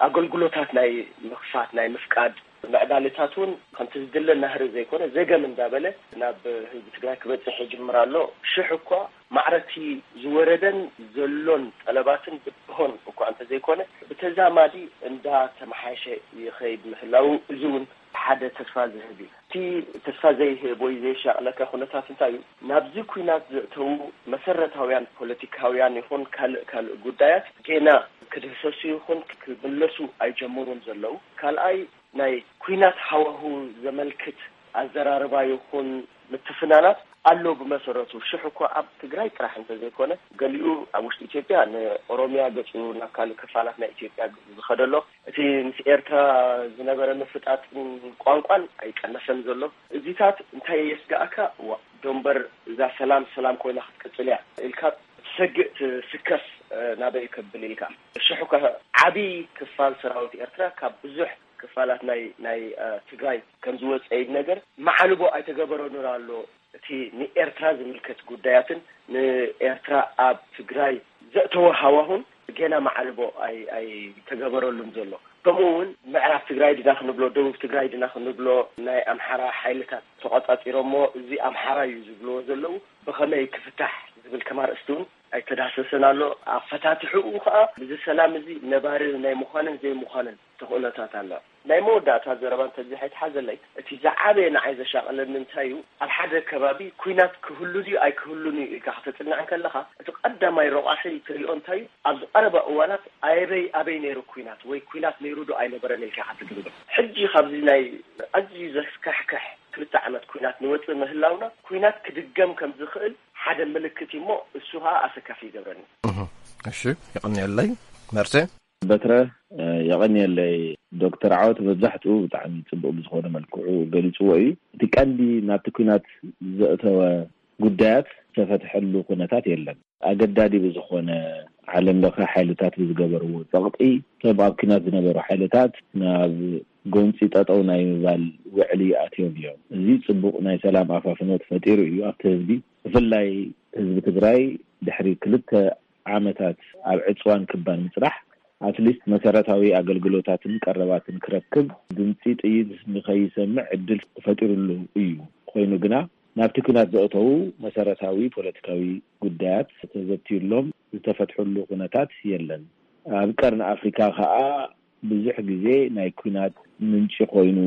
ኣገልግሎታት ናይ ምኽፋት ናይ ምፍቃድ ምዕባለታት እውን ከምቲ ዝድለ ናህሪ ዘይኮነ ዘገም እንዳበለ ናብ ህዝቢ ትግራይ ክበፅሕ ይጅምር ኣሎ። ሽሕ እኳ ማዕረቲ ዝወረደን ዘሎን ጠለባትን ብድሆን እኳ እንተዘይኮነ ብተዛማዲ እንዳተመሓየሸ ይኸይድ ምህላው እዚ እውን ሓደ ተስፋ ዝህብ እዩ። እቲ ተስፋ ዘይህብ ወይ ዘየሻቕለካ ኩነታት እንታይ እዩ? ናብዚ ኲናት ዘእተዉ መሰረታውያን ፖለቲካውያን ይኹን ካልእ ካልእ ጉዳያት ጌና ክድህሰሱ ይኹን ክምለሱ ኣይጀመሩን ዘለዉ። ካልኣይ ናይ ኲናት ሃዋሁ ዘመልክት ኣዘራርባ ይኹን ምትፍናናት ኣሎ። ብመሰረቱ ሽሕ እኳ ኣብ ትግራይ ጥራሕ እንተዘይኮነ ገሊኡ ኣብ ውሽጢ ኢትዮጵያ ንኦሮሚያ ገጹ ናብ ካልእ ክፋላት ናይ ኢትዮጵያ ዝኸደሎ እቲ ምስ ኤርትራ ዝነበረ ምፍጣጥን ቋንቋን ኣይቀነሰን ዘሎ። እዚታት እንታይ የስጋእካ? ዋ ዶንበር እዛ ሰላም ሰላም ኮይና ክትቅጽል እያ ኢልካ ትሰግእ ትስከፍ ናበይ ከብል ኢልካ ሽሕ እኳ ዓቢ ክፋል ሰራዊት ኤርትራ ካብ ብዙሕ ክፋላት ናይ ናይ ትግራይ ከም ዝወፀ ይነገር። ማዕልቦ ኣይተገበረሉን ኣሎ። እቲ ንኤርትራ ዝምልከት ጉዳያትን ንኤርትራ ኣብ ትግራይ ዘእተወ ሃዋሁን ገና ማዕልቦ ኣይተገበረሉን ዘሎ። ከምኡ እውን ምዕራብ ትግራይ ድና ክንብሎ ደቡብ ትግራይ ድና ክንብሎ ናይ ኣምሓራ ሓይልታት ተቋፃፂሮሞ እዚ ኣምሓራ እዩ ዝብልዎ ዘለዉ ብኸመይ ክፍታሕ ዝብል ከማርእስቲ እውን ኣይተዳህሰሰን ኣሎ። ኣፈታትሕኡ ከዓ እዚ ሰላም እዚ ነባሪ ናይ ምዃንን ዘይምዃንን ተኽእሎታት ኣሎ። ናይ መወዳእታ ዘረባ እንተዚ ሓይትሓዘለይ እቲ ዝዓበየ ንዓይ ዘሻቐለኒ እንታይ እዩ? ኣብ ሓደ ከባቢ ኩናት ክህሉ ድዩ ኣይክህሉን እዩ ኢልካ ከተፅንዕ ከለኻ እቲ ቀዳማይ ረቋሒ ትሪኦ እንታይ እዩ? ኣብዚ ቀረባ እዋናት ኣበይ ኣበይ ነይሩ ኩናት ወይ ኩናት ነይሩ ዶ ኣይነበረን ኢልካ ክትግምግም። ሕጂ ካብዚ ናይ ኣዝዩ ዘስካሕክሕ ክልተ ዓመት ኩናት ንወፅእ ምህላውና ኩናት ክድገም ከም ዝኽእል ሓደ ምልክት እዩ እሞ እሱ ከዓ ኣሰካፊ ይገብረኒ። እሺ፣ ይቕንየለይ መርሴ። በትረ፣ የቐንየለይ። ዶክተር ዓወት መብዛሕትኡ ብጣዕሚ ጽቡቕ ብዝኾነ መልክዑ ገሊጽዎ እዩ። እቲ ቀንዲ ናብቲ ኲናት ዘእተወ ጉዳያት ዝተፈትሐሉ ኩነታት የለን። ኣገዳዲ ብዝኾነ ዓለም ለኸ ሓይልታት ብዝገበርዎ ጸቕጢ እቶም ኣብ ኲናት ዝነበሩ ሓይልታት ናብ ጎንጺ ጠጠው ናይ ምባል ውዕሊ ኣትዮም እዮም። እዚ ጽቡቕ ናይ ሰላም ኣፋፍኖት ፈጢሩ እዩ ኣብቲ ህዝቢ። ብፍላይ ህዝቢ ትግራይ ድሕሪ ክልተ ዓመታት ኣብ ዕጽዋን ክባን ምጽራሕ ኣትሊስት መሰረታዊ ኣገልግሎታትን ቀረባትን ክረክብ ድምጺ ጥይት ንኸይሰምዕ ዕድል ተፈጢሩሉ እዩ። ኮይኑ ግና ናብቲ ኲናት ዘእተዉ መሰረታዊ ፖለቲካዊ ጉዳያት ተዘትዩሎም ዝተፈትሕሉ ኩነታት የለን። ኣብ ቀርኒ ኣፍሪካ ከኣ ብዙሕ ግዜ ናይ ኲናት ምንጪ ኮይኑ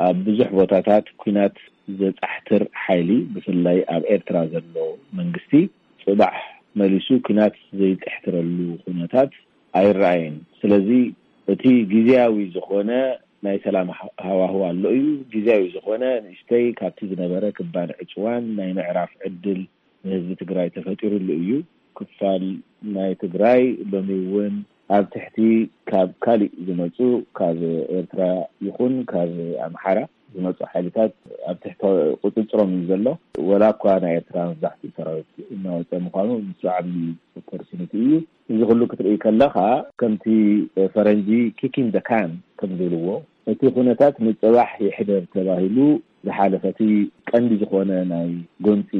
ኣብ ብዙሕ ቦታታት ኲናት ዘጻሕትር ሓይሊ ብፍላይ ኣብ ኤርትራ ዘሎ መንግስቲ ጽባሕ መሊሱ ኲናት ዘይጥሕትረሉ ኩነታት ኣይረኣየን። ስለዚ እቲ ግዜያዊ ዝኾነ ናይ ሰላም ሃዋህው ኣሎ እዩ። ግዜያዊ ዝኾነ ንእሽተይ ካብቲ ዝነበረ ክባን ዕፅዋን ናይ ምዕራፍ ዕድል ንህዝቢ ትግራይ ተፈጢሩሉ እዩ። ክፋል ናይ ትግራይ ሎሚ እውን ኣብ ትሕቲ ካብ ካሊእ ዝመፁ ካብ ኤርትራ ይኹን ካብ ኣምሓራ ዝመፁ ሓይልታት ኣብ ትሕቲ ቁፅፅሮም እዩ ዘሎ። ወላ እኳ ናይ ኤርትራ መብዛሕትኡ ሰራዊት እናወፀ ምዃኑ ንሱ ዓብዪ ኦፖርቹኒቲ እዩ። እዚ ኩሉ ክትርኢ ከለኻ ከምቲ ፈረንጂ ኪኪን ደ ካን ከም ዝብልዎ እቲ ኩነታት ንፅባሕ ይሕደር ተባሂሉ ዝሓለፈ እቲ ቀንዲ ዝኾነ ናይ ጎንፂ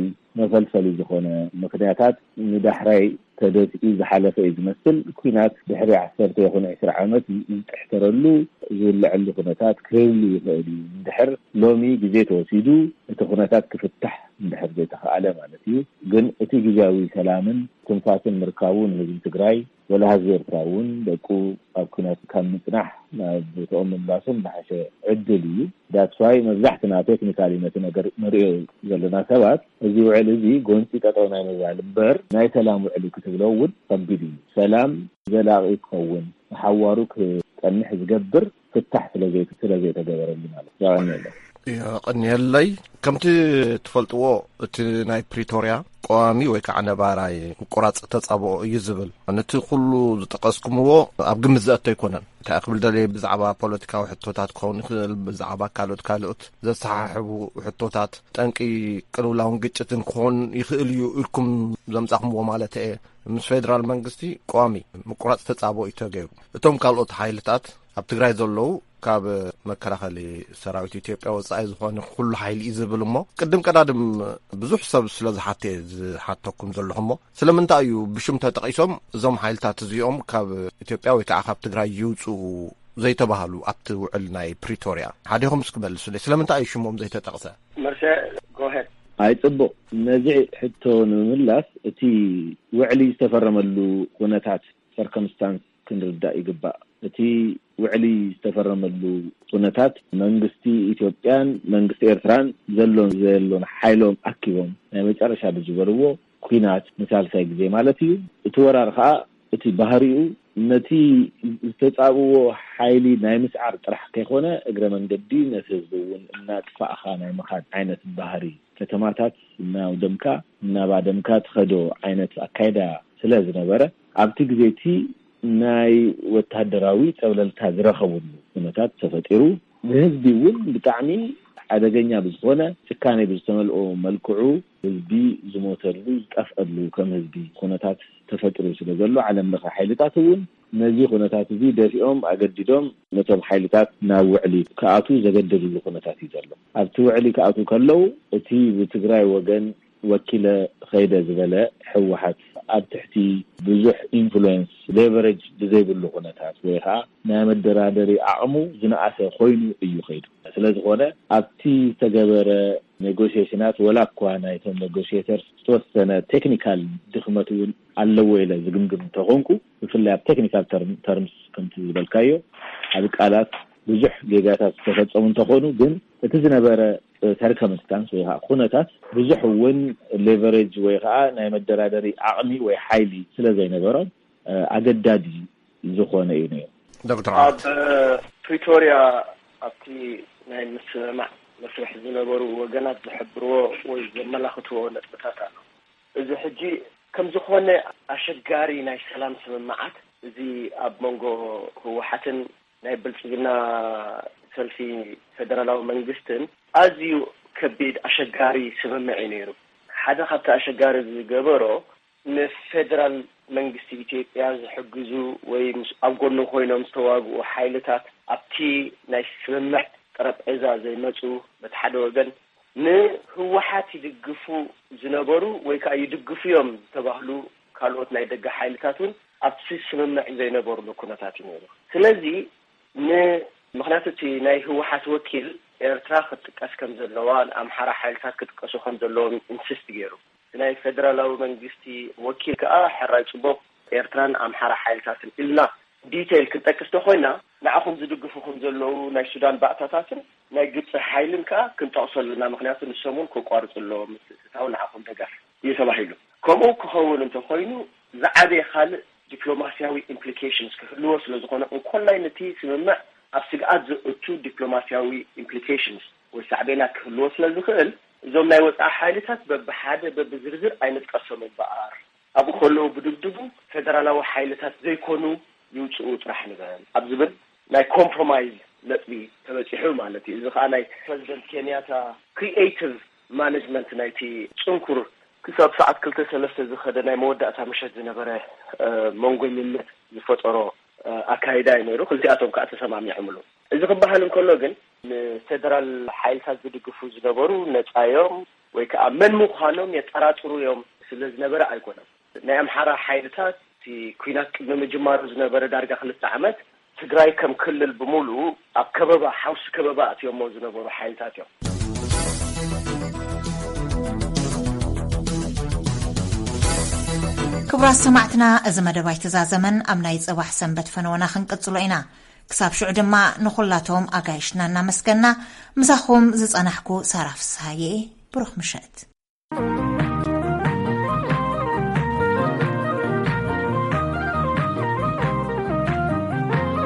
መፈልፈሊ ዝኾነ ምክንያታት ንዳሕራይ ተደፊኡ ዝሓለፈ እዩ ዝመስል። ኲናት ድሕሪ ዓሰርተ ይኹን ዕስራ ዓመት ዝጥሕተረሉ ዝውለዐሉ ኩነታት ክህሉ ይኽእል እዩ። እንድሕር ሎሚ ግዜ ተወሲዱ እቲ ኩነታት ክፍታሕ እንድሕር ዘይተኸኣለ ማለት እዩ። ግን እቲ ግዜያዊ ሰላምን ትንፋስን ምርካቡ ንህዝቢ ትግራይ ወላ ህዝቢ ኤርትራ እውን ደቁ ኣብ ኩናት ካብ ምፅናሕ ናብ ቦትኦም ምምላሶም ዝሓሸ ዕድል እዩ። ዳትስዋይ መብዛሕትና ቴክኒካሊ ነቲ ነገር ንሪኦ ዘለና ሰባት እዚ ውዕል እዚ ጎንፂ ጠጠው ናይ ምባል እምበር ናይ ሰላም ውዕል እዩ ክትብሎ እውን ከቢድ እዩ። ሰላም ዘላቒ ክኸውን ንሓዋሩ ክፀንሕ ዝገብር ፍታሕ ስለዘይተገበረሉ ማለት እዩ። የቐንየለይ። ከምቲ ትፈልጥዎ፣ እቲ ናይ ፕሪቶርያ ቀዋሚ ወይ ከዓ ነባራይ ምቁራፅ ተፃብኦ እዩ ዝብል። ነቲ ኩሉ ዝጠቀስኩምዎ ኣብ ግምት ዘእቶ ኣይኮነን። እንታይ ክብል ደልየ፣ ብዛዕባ ፖለቲካዊ ሕቶታት ክኸውን ይኽእል፣ ብዛዕባ ካልኦት ካልኦት ዘሰሓሕቡ ሕቶታት፣ ጠንቂ ቅልውላውን ግጭትን ክኾን ይኽእል እዩ ኢልኩም ዘምጻኹምዎ ማለት እየ። ምስ ፌደራል መንግስቲ ቀዋሚ ምቁራፅ ተፃብኦ እዩ ተገይሩ። እቶም ካልኦት ሓይልታት ኣብ ትግራይ ዘለዉ፣ ካብ መከላኸሊ ሰራዊት ኢትዮጵያ ወፃኢ ዝኾነ ኩሉ ሓይሊ እዩ ዝብል። እሞ ቅድም ቀዳድም ብዙሕ ሰብ ስለ ዝሓተ ዝሓተኩም ዘለኹ፣ እሞ ስለምንታይ እዩ ብሽም ተጠቒሶም እዞም ሓይልታት እዚኦም ካብ ኢትዮጵያ ወይ ከዓ ካብ ትግራይ ይውፅኡ ዘይተባህሉ ኣብቲ ውዕል ናይ ፕሪቶርያ? ሓዲኹም እስኪ መልሱለይ፣ ስለምንታይ እዩ ሽሞም ዘይተጠቕሰ? መርሰ፣ ጎሄድ። ኣይ፣ ጽቡቕ። ነዚ ሕቶ ንምምላስ፣ እቲ ውዕሊ ዝተፈረመሉ ኩነታት፣ ሰርከምስታንስ፣ ክንርዳእ ይግባእ። እቲ ውዕሊ ዝተፈረመሉ ኩነታት፣ መንግስቲ ኢትዮጵያን መንግስቲ ኤርትራን ዘሎን ዘየሎን ሓይሎም ኣኪቦም ናይ መጨረሻ ብዝበልዎ ኲናት ንሳልሳይ ግዜ ማለት እዩ። እቲ ወራር ከኣ፣ እቲ ባህሪኡ፣ ነቲ ዝተጻብዎ ሓይሊ ናይ ምስዓር ጥራሕ ከይኮነ፣ እግረ መንገዲ ነቲ ህዝቢ እውን እናጥፋእኻ ናይ ምኻድ ዓይነት ባህሪ፣ ከተማታት እናውደምካ፣ እናባደምካ ትኸዶ ዓይነት ኣካይዳ ስለ ዝነበረ፣ ኣብቲ ግዜ እቲ ናይ ወታደራዊ ጸብለልታ ዝረኸብሉ ኩነታት ተፈጢሩ። ንህዝቢ እውን ብጣዕሚ ሓደገኛ ብዝኾነ፣ ጭካኔ ብዝተመልኦ መልክዑ ህዝቢ ዝሞተሉ፣ ዝጠፍአሉ ከም ህዝቢ ኩነታት ተፈጢሩ ስለ ዘሎ፣ ዓለም ለኸ ሓይልታት እውን ነዚ ኩነታት እዚ ደፊኦም፣ ኣገዲዶም ነቶም ሓይልታት ናብ ውዕሊ ክኣትዉ ዘገደድሉ ኩነታት እዩ ዘሎ። ኣብቲ ውዕሊ ክኣትዉ ከለዉ፣ እቲ ብትግራይ ወገን ወኪለ ኸይደ ዝበለ ህወሓት፣ ኣብ ትሕቲ ብዙሕ ኢንፍሉዌንስ፣ ሌቨሬጅ ብዘይብሉ ኩነታት፣ ወይ ኸዓ ናይ መደራደሪ ዓቕሙ ዝነኣሰ ኮይኑ እዩ ኸይዱ። ስለ ዝኾነ፣ ኣብቲ ዝተገበረ ኔጎሽዬሽናት፣ ወላ እኳ ናይቶም ኔጎሽዬተርስ ዝተወሰነ ቴክኒካል ድኽመት እውን ኣለዎ ኢለ ዝግምግም እንተኾንኩ፣ ብፍላይ ኣብ ቴክኒካል ተርም-፣ ተርምስ፣ ከምቲ ዝበልካዮ፣ ኣብ ቃላት ብዙሕ ጌጋታት ዝተፈጸሙ እንተኾኑ፣ ግን እቲ ዝነበረ ሰርከምስታንስ ወይ ከዓ ኩነታት፣ ብዙሕ እውን ሌቨሬጅ ወይ ከዓ ናይ መደራደሪ ዓቕሚ ወይ ሓይሊ ስለ ዘይነበሮም፣ እ፣ ኣገዳዲ ዝኾነ እዩ ነይሩ። ዶክተር ኣብ ዓወት። ፕሪቶርያ፣ ኣብቲ ናይ ምስምማዕ መስርሕ ዝነበሩ ወገናት ዝሕብርዎ ወይ ዘመላኽትዎ ነጥብታት ኣሎ። እዚ ሕጂ ከም ዝኾነ ኣሸጋሪ ናይ ሰላም ስምምዓት፣ እዚ ኣብ መንጎ ህወሓትን ናይ ብልጽግና ሰልፊ ፌደራላዊ መንግስትን ኣዝዩ ከቢድ ኣሸጋሪ ስምምዕ እዩ ነይሩ። ሓደ ካብቲ ኣሸጋሪ ዝገበሮ፣ ንፌደራል መንግስቲ ኢትዮጵያ ዝሕግዙ ወይ ምስ፣ ኣብ ጎኑ ኮይኖም ዝተዋግኡ ሓይልታት ኣብቲ ናይ ስምምዕ ጠረጴዛ ዘይመጹ፣ በቲ ሓደ ወገን ንህወሓት ይድግፉ ዝነበሩ ወይ ከዓ ይድግፉ እዮም ዝተባህሉ ካልኦት ናይ ደገ ሓይልታት እውን ኣብቲ ስምምዕ ዘይነበሩሉ ኩነታት እዩ ነይሩ። ስለዚ ን-፣ ምኽንያቱ እቲ ናይ ህወሓት ወኪል ኤርትራ ክትጥቀስ ከም ዘለዋ፣ ንኣምሓራ ሓይልታት ክጥቀሱ ከም ዘለዎም ኢንሲስት ገይሩ። እቲ ናይ ፌደራላዊ መንግስቲ ወኪል ከኣ፣ ሕራይ ጽቡቕ፣ ኤርትራን ኣምሓራ ሓይልታትን ኢልና ዲቴይል ክንጠቅስ ተኾይና፣ ንዓኹም ዝድግፉ ከም ዘለዉ ናይ ሱዳን ባእታታትን ናይ ግብጺ ሓይልን ከኣ ክንጠቕሶ ኣለና። ምኽንያቱ ንሶም እውን ከቋርጹ ኣለዎም ምትእትታው ንዓኹም ደገፍ እዩ ተባሂሉ። ከምኡ ክኸውን እንተኾይኑ፣ ዝዓበየ ካልእ ዲፕሎማስያዊ ኢምፕሊኬሽንስ ክህልዎ ስለ ዝኾነ፣ እንኮላይ ነቲ ስምምዕ ኣብ ስግኣት ዘእቱ ዲፕሎማስያዊ ኢምፕሊኬሽንስ ወይ ሳዕቤናት ክህልዎ ስለ ዝኽእል፣ እዞም ናይ ወጻኢ ሓይልታት በብሓደ በብዝርዝር ኣይንጥቀሶም እምበኣር፣ ኣብኡ ከለዉ ብድብድቡ ፌደራላዊ ሓይልታት ዘይኮኑ ይውጽኡ ጥራሕ ንበል ኣብ ዝብል ናይ ኮምፕሮማይዝ ነጥቢ ተበጺሑ ማለት እዩ። እዚ ኸኣ ናይ ፕረዚደንት ኬንያታ ክሪኤቲቭ ማኔጅመንት ናይቲ ጽንኩር ክሳብ ሰዓት ክልተ ሰለስተ ዝኸደ ናይ መወዳእታ ምሸት ዝነበረ፣ እ፣ መንጎኝነት ዝፈጠሮ፣ እ፣ ኣካይዳ እዩ ነይሩ። ክልቲኣቶም ከኣ ተሰማሚዖምሉ። እዚ ክበሃል እንከሎ ግን፣ ንፌደራል ሓይልታት ዝድግፉ ዝነበሩ ነጻዮም ወይ ከኣ መን ምዃኖም የጠራጥሩ እዮም ስለ ዝነበረ ኣይኮነን። ናይ ኣምሓራ ሓይልታት፣ እቲ ኲናት ቅድሚ ምጅማሩ ዝነበረ ዳርጋ ክልተ ዓመት፣ ትግራይ ከም ክልል ብምሉኡ ኣብ ከበባ፣ ሓውሲ ከበባ ኣትዮሞ ዝነበሩ ሓይልታት እዮም። ክቡራት ሰማዕትና፣ እዚ መደብ ኣይተዛዘመን። ኣብ ናይ ጽባሕ ሰንበት ፈነወና ክንቅጽሎ ኢና። ክሳብ ሽዑ ድማ ንኹላቶም ኣጋይሽና እናመስገና፣ ምሳኹም ዝጸናሕኩ ሳራ ፍስሃየ። ብሩኽ ምሸት።